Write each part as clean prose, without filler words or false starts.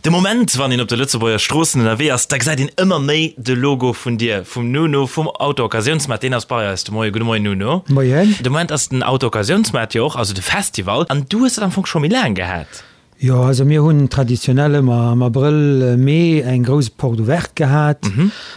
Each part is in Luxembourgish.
De Moment, wann een op de Lëtzebuerger Stroossen ënnerwee ass, da gesäit een ëmmer méi de Logo vun dir, vum Nuno, vum Auto-Occasiounsmaart. Deen ass bei eis de Moien. Gudde Moien, Nuno. Moien. De Moment ass den Auto-Occasiounsmaart jo och, also de Festival, an du hues dat am Fong scho méi laang gehat. Jo, also mir hunn traditionell ëmmer am Abrëll, Mee eng grouss Porte ouverte gehat.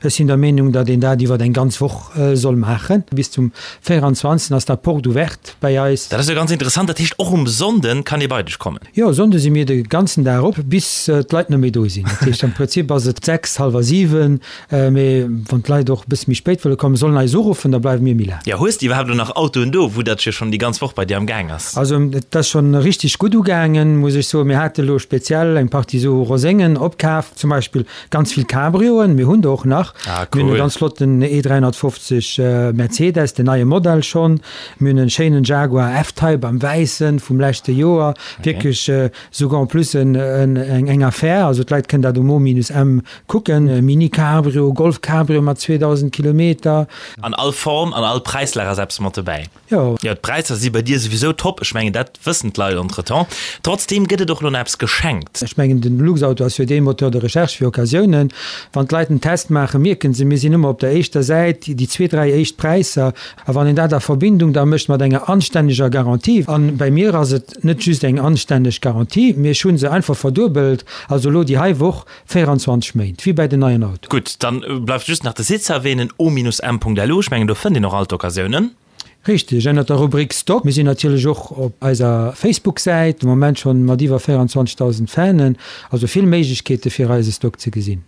Ech sinn der Meenung, datt een dat iwwer eng ganz Woch soll maachen. Bis zum 24 ass da Porte ouverte bäi eis. Dat ass jo ganz interessant. Dat heescht, och um Sonnde kann ee bei dech kommen? Jo, Sonnde si mir de ganzen Dag op, bis d'Leit net méi do sinn. Dat heescht, am Prinzip ass et 6, hallwer 7. Mee wann d'Leit och e bësse méi spéit wëlle kommen, sollen eis uruffen, da bleiwe mir méi laang. Jo, hues de iwwerhaapt elo nach Autoen do, vu datt jo schonn déi ganz Woch bei dir am Gaang ass? Also et ass schonn richteg gutt ugaangen, muss ech soen. Mir hate elo speziell eng Partie sou Roséngen opkaf, zum Beispill ganz vill Cabrioen, mir hunn der och nach. Ah, cool. Mir hunn e ganz flotten E350 Mercedes, den neie Modell schonn. Mir hunn e schéinen Jaguar F-Type am Wäissen vum leschte Joer. Wierklech souguer en plus eng Affaire. Also d'Leit kënnen dat um O-M Kucken, Mini Cabrio, Golf Cabrio mat 2000 Kilometer. An all Form, an all Präislag ass eppes mat dobäi. Jo. Jo, d'Präisser si bei dir souwisou top, ech mengen dat wëssen d'Leit entretemps. Trotzdeem gëtt et och elo nach eppes geschenkt. Ech mengen den Luxauto ass jo dee Moteur de recherche fir Occasiounen. Wann d'Leit en Test maachen, mierken se, mir sinn ëmmer op der éischter Säit, déi zwee, dräi éischt Präisser. A wann een dat a Verbindung da mécht mat enger anstänneger Garantie, an bei mir ass et net just eng anstänneg Garantie, mee ech hu se einfach verduebelt, also elo déi hei Woch 24 Méint, wéi bäi den neien Autoen. Gutt, dann bleift just nach de Site ze erwähnen, o-m.lu. Ech mengen, do fënnt een och all d'Occasiounen. Richteg, ënnert der Rubrik Stock. Mir sinn natierlech och op eiser Facebook-Säit, de Moment schonn mat iwwer 24.000 Fanen. Also vill Méiglechkeete fir eise Stock ze gesinn.